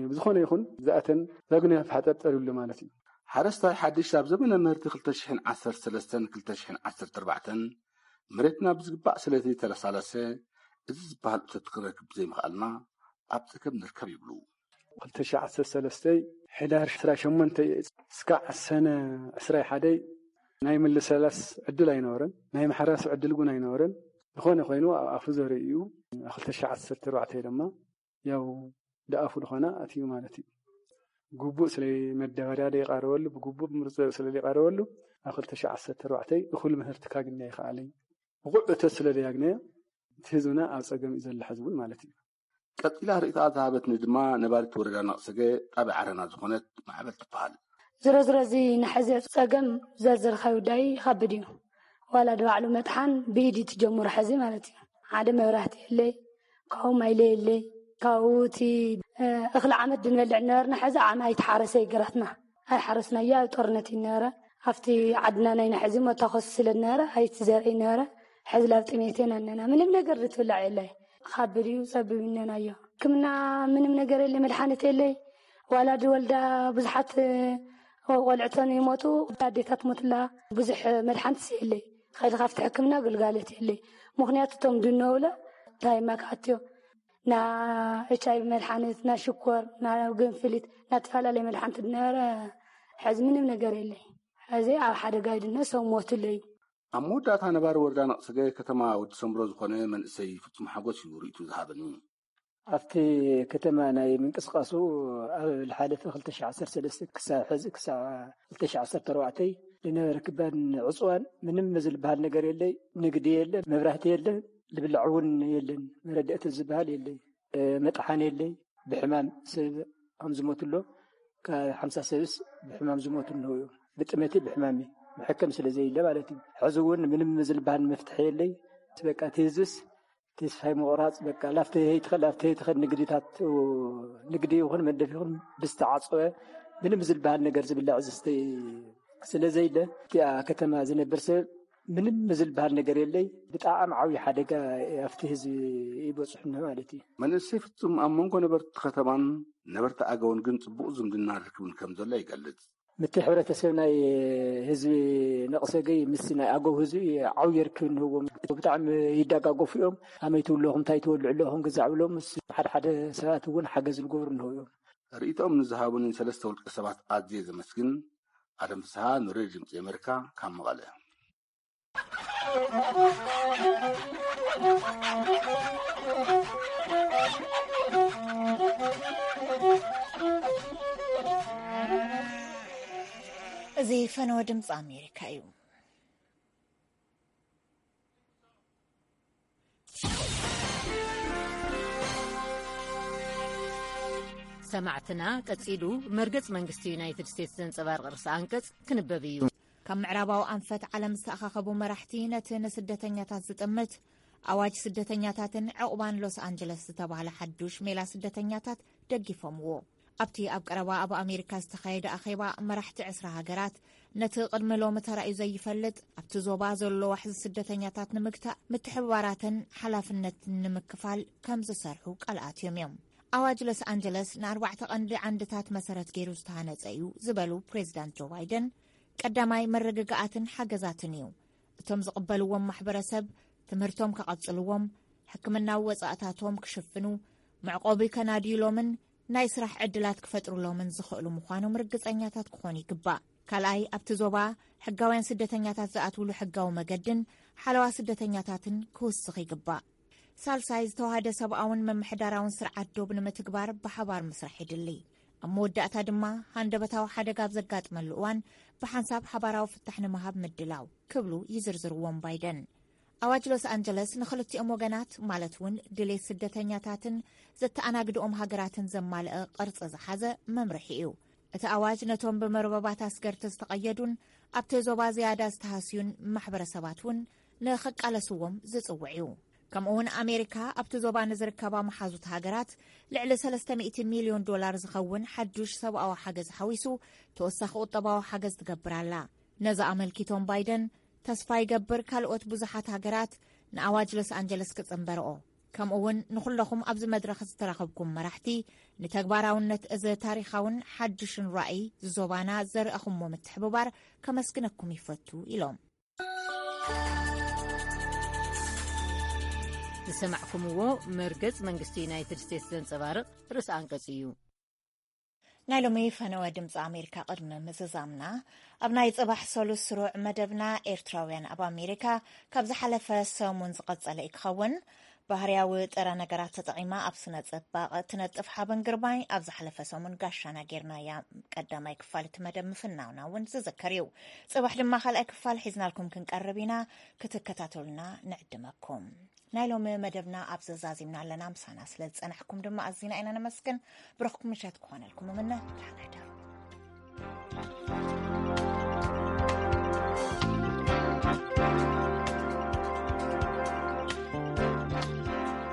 ብዝኾነ ይኹን ዝኣተን ዳግነ ተሓጠርጠር ይብሉ ማለት እዩ። ሓረስታይ ሓድሽ ኣብ ዘመነ ምህርቲ ክልተ ሽሕን ዓሰርተ ሰለስተን ክልተ ሽሕን ዓሰርተ ኣርባዕተን መሬትና ብዝግባእ ስለ ዘይተለሳለሰ፣ እዚ ዝበሃል እቶት ክንረክብ ብዘይምኽኣልና ኣብ ጸገም ንርከብ ይብሉ። ክልተ ሽሕ ዓሰርተ ሰለስተ ሕዳር ዕስራ ሸሞንተ እስካዕ ሰነ ዕስራ ሓደ ናይ ምልሰላስ ዕድል ኣይነበረን፣ ናይ ምሕራስ ዕድል እውን ኣይነበረን። ዝኾነ ኮይኑ ኣብ ኣፉ ዘርኢ እዩ። ክልተ ሽሕ ዓሰርተ ኣርባዕተ ድማ ያው ደኣፉ ዝኾነ ኣትዩ ማለት እዩ። ግቡእ ስለ መዳበርያ ዘይቀረበሉ፣ ብግቡእ ብምርፅ ስለ ዘይቀረበሉ ኣብ ክልተ ሽሕ ዓሰርተ ኣርባዕተ እኹል ምህርቲ ካግኒ ኣይኸኣለይ። ብቑዕ እቶት ስለ ዘያግነዮ እቲ ህዝብና ኣብ ጸገም እዩ ዘሎ ሕዚ እውን ማለት እዩ። ቀጺላ ርእይታኣ ዝሃበትኒ ድማ ነባሪት ወረዳ ነቕሰገ ጣብያ ዓረና ዝኾነት ማዕበል ትበሃል። ዝሮ ዝሮ እዚ ንሕዚ ጸገም ዘርዘርካዮ ጉዳይ ይኸብድ እዩ። ዋላ ድባዕሉ መጥሓን ብኢድ እዩ ትጀምሮ ሕዚ ማለት እዩ። ሓደ መብራህቲ የለይ፣ ካብኡ ማይለ የለይ፣ ካብኡ እቲ፣ እ፣ እኽሊ ዓመት ድንበልዕ ነበርና። ሕዚ ዓም ኣይተሓረሰ ይገራትና። ኣይሓረስናዮ፣ ኣብ ጦርነት እዩ ነበረ። ኣብቲ ዓድና ናይ ንሕዚ መታኮሲ ስለ ነበረ ኣይትዘርኢ ነበረ። ሕዚ ላብ ጥሜት ኢና እነና። ምንም ነገር ዝትብላዕ የለይ። ካብ ብድዩ ጸብብ እነናዮ። ሕክምና ምንም ነገር የለይ፣ መድሓኒት የለይ። ዋላ ዝወልዳ ብዙሓት፣ እ፣ ቆልዕተን ይሞቱ፣ ኣዴታት ሞትላ። ብዙሕ መድሓኒትስ የለይ። ከይዲ ካብቲ ሕክምና ግልጋሎት የለይ። ምኽንያቱ እቶም ድነውለ እንታይ ማካትዮ ና ኤች ኣይ ቪ መድሓኒት፣ ና ሽኮር፣ ና ግንፍሊት፣ ና ተፈላለየ መድሓኒት ድነበረ ሕዚ ምንም ነገር የለይ። ሕዚ ኣብ ሓደጋ ይድነ ሰብ ሞትለይ። ኣብ መወዳእታ ነባሪ ወረዳ ነቕሰገ ከተማ ወዲ ሰምብሮ ዝኾነ መንእሰይ ፍጹም ሓጎስ እዩ ርእይቱ ዝሃበኒ። ኣብቲ ከተማ ናይ ምንቅስቃሱ ኣብ ዝሓለፈ ክልተ ሺሕ ዓሰርተ ሰለስተ ክሳብ ሕዚ ክሳብ ክልተ ሺሕ ዓሰርተ ኣርባዕተ ዝነበረ ክባን ዕፅዋን ምንም ዝልበሃል ነገር የለይ። ንግዲ የለ፣ መብራህቲ የለ፣ ዝብላዕ እውን የለን። መረዳእቲ ዝበሃል የለይ። እ፣ መጥሓን የለይ። ብሕማም ሰብ ከም ዝሞትሎ ካብ ሓምሳ ሰብስ ብሕማም ዝሞቱ ኣለዉ እዮም። ብጥመቲ ብሕማሚ መሐከም ስለ ዘየለ ማለት እዩ። ሕዚ እውን ምንም ዝልበሃል መፍትሒ የለይ። በቃ እቲ ህዝብስ ተስፋይ ምቑራፅ በቃ ላፍተ ይትኸል ላፍተ ይትኸል ንግድታት ንግዲ ይኹን መንደፍ ይኹን ብዝተዓፀወ ምንም ዝልበሃል ነገር ዝብላዕ ዝስተ ስለ ዘይለ እቲኣ ከተማ ዝነብር ሰብ ምንም ዝልበሃል ነገር የለይ። ብጣዕሚ ዓብዪ ሓደጋ ኣብቲ ህዝቢ ይበፅሑና ማለት እዩ። መንእሰይ ፍጹም ኣብ መንጎ ነበርቲ ከተማን ነበርቲ ኣገውን ግን ጽቡቕ ዝምድና ርክብን ከም ዘሎ ይገልጽ። ምቲ ሕብረተሰብ ናይ ህዝቢ ነቕሰገይ ምስ ናይ ኣገው ህዝቢ ዓብዪ ርክብ እንህዎም። ብጣዕሚ ይደጋገፉ እዮም። ኣመይ ትብሉ ኣለኹም፣ እንታይ ትበልዑ ኣለኹም፣ ግዛዕ ብሎም ምስ ሓደ ሓደ ሰባት እውን ሓገዝ ዝገብሩ እንህው እዮም። ርእይቶኦም ንዝሃቡኒ ሰለስተ ውልቀ ሰባት ኣዝየ ዘመስግን። ኣለም ፍስሃ፣ ንሬድዮ ድምጺ ኣሜሪካ፣ ካብ መቐለ። እዚ ፈነወ ድምፂ ኣሜሪካ እዩ። ሰማዕትና፣ ቀጺሉ መርገጽ መንግስቲ ዩናይትድ ስቴትስ ዘንጸባርቕ ርእሰ ኣንቀጽ ክንበብ እዩ። ካብ ምዕራባዊ ኣንፈት ዓለም ዝተኣኻኸቡ መራሕቲ ነቲ ንስደተኛታት ዝጥምት ኣዋጅ ስደተኛታትን ዕቑባን ሎስ ኣንጀለስ ዝተባህለ ሓዱሽ ሜላ ስደተኛታት ደጊፎምዎ። ኣብቲ ኣብ ቀረባ ኣብ ኣሜሪካ ዝተኻየደ ኣኼባ መራሕቲ ዕስራ ሃገራት ነቲ ቅድሚ ሎሚ ተራእዩ ዘይፈልጥ ኣብቲ ዞባ ዘሎ ዋሕዚ ስደተኛታት ንምግታእ ምትሕብባራትን ሓላፍነትን ንምክፋል ከም ዝሰርሑ ቃል ኣትዮም እዮም። ኣዋጅ ሎስ ኣንጀለስ ንኣርባዕተ ቀንዲ ዓንድታት መሰረት ገይሩ ዝተሃነጸ እዩ ዝበሉ ፕሬዚዳንት ጆ ባይደን፣ ቀዳማይ መረጋጋኣትን ሓገዛትን እዩ። እቶም ዝቕበልዎም ማሕበረሰብ ትምህርቶም ከቐጽልዎም፣ ሕክምናዊ ወጻእታቶም ክሽፍኑ፣ መዕቆቢ ከናድዩሎምን ናይ ስራሕ ዕድላት ክፈጥሩሎምን ዝኽእሉ ምዃኖም ርግጸኛታት ክኾኑ ይግባእ። ካልኣይ፣ ኣብቲ ዞባ ሕጋውያን ስደተኛታት ዝኣትውሉ ሕጋዊ መገድን ሓለዋ ስደተኛታትን ክውስኽ ይግባእ። ሳልሳይ፣ ዝተዋህደ ሰብኣውን ምምሕዳራውን ስርዓት ዶብ ንምትግባር ብሓባር ምስራሕ ይድሊ። ኣብ መወዳእታ ድማ፣ ሃንደበታዊ ሓደጋ ኣብ ዘጋጥመሉ እዋን ብሓንሳብ ሓባራዊ ፍታሕ ንምሃብ ምድላው ክብሉ ይዝርዝርዎም ባይደን። ኣዋጅ ሎስ ኣንጀለስ ንኽልቲኦም ወገናት፣ ማለት እውን ድሌት ስደተኛታትን ዘተኣናግድኦም ሃገራትን ዘማልአ ቅርጺ ዝሓዘ መምርሒ እዩ። እቲ ኣዋጅ ነቶም ብመርበባት ኣስገርቲ ዝተቐየዱን ኣብቲ ዞባ ዝያዳ ዝተሃስዩን ማሕበረሰባት እውን ንኽቃለስዎም ዝጽውዕ እዩ። ከምኡውን ኣሜሪካ ኣብቲ ዞባ ንዝርከባ መሓዙት ሃገራት ልዕሊ ሰለስተ ሚእቲ ሚልዮን ዶላር ዝኸውን ሓዱሽ ሰብኣዊ ሓገዝ ሓዊሱ ተወሳኺ ቁጠባዊ ሓገዝ ትገብር ኣላ። ነዚ ኣመልኪቶም ባይደን፣ ተስፋ ይገብር ካልኦት ብዙሓት ሃገራት ንኣዋጅ ሎስ ኣንጀለስ ክጽንበርኦ፣ ከምኡውን ንኹለኹም ኣብዚ መድረኽ ዝተረኸብኩም መራሕቲ ንተግባራውነት እዚ ታሪኻውን ሓድሽን ራእይ ዞባና ዘርእኹሞ ምትሕብባር ከመስግነኩም ይፈቱ ኢሎም። ዝሰማዕኩምዎ መርገጽ መንግስቲ ዩናይትድ ስቴትስ ዘንጸባርቕ ርእሰ ኣንቀጽ እዩ። ናይ ሎሚ ፈነወ ድምፂ ኣሜሪካ ቅድሚ ምዝዛምና፣ ኣብ ናይ ጽባሕ ሰሉስ ስሩዕ መደብና ኤርትራውያን ኣብ ኣሜሪካ ካብ ዝሓለፈ ሰሙን ዝቐጸለ እዩ ክኸውን። ባህርያዊ ጥረ ነገራት ተጠቒማ ኣብ ስነ ጽባቐ ትነጥፍ ሓበን ግርማይ ኣብ ዝሓለፈ ሰሙን ጋሻና ጌርናያ። ቀዳማይ ክፋል እቲ መደብ ምፍናውና እውን ዝዝከር እዩ። ጽባሕ ድማ ካልኣይ ክፋል ሒዝናልኩም ክንቀርብ ኢና። ክትከታተሉና ንዕድመኩም። ናይ ሎሚ መደብና ኣብ ዘዛዚምና ኣለና። ምሳና ስለ ዝጸናሕኩም ድማ ኣዚና ኢና ነመስግን። ብሩኽ ምሸት ክኾነልኩም እምነ። ደህና ደሩ።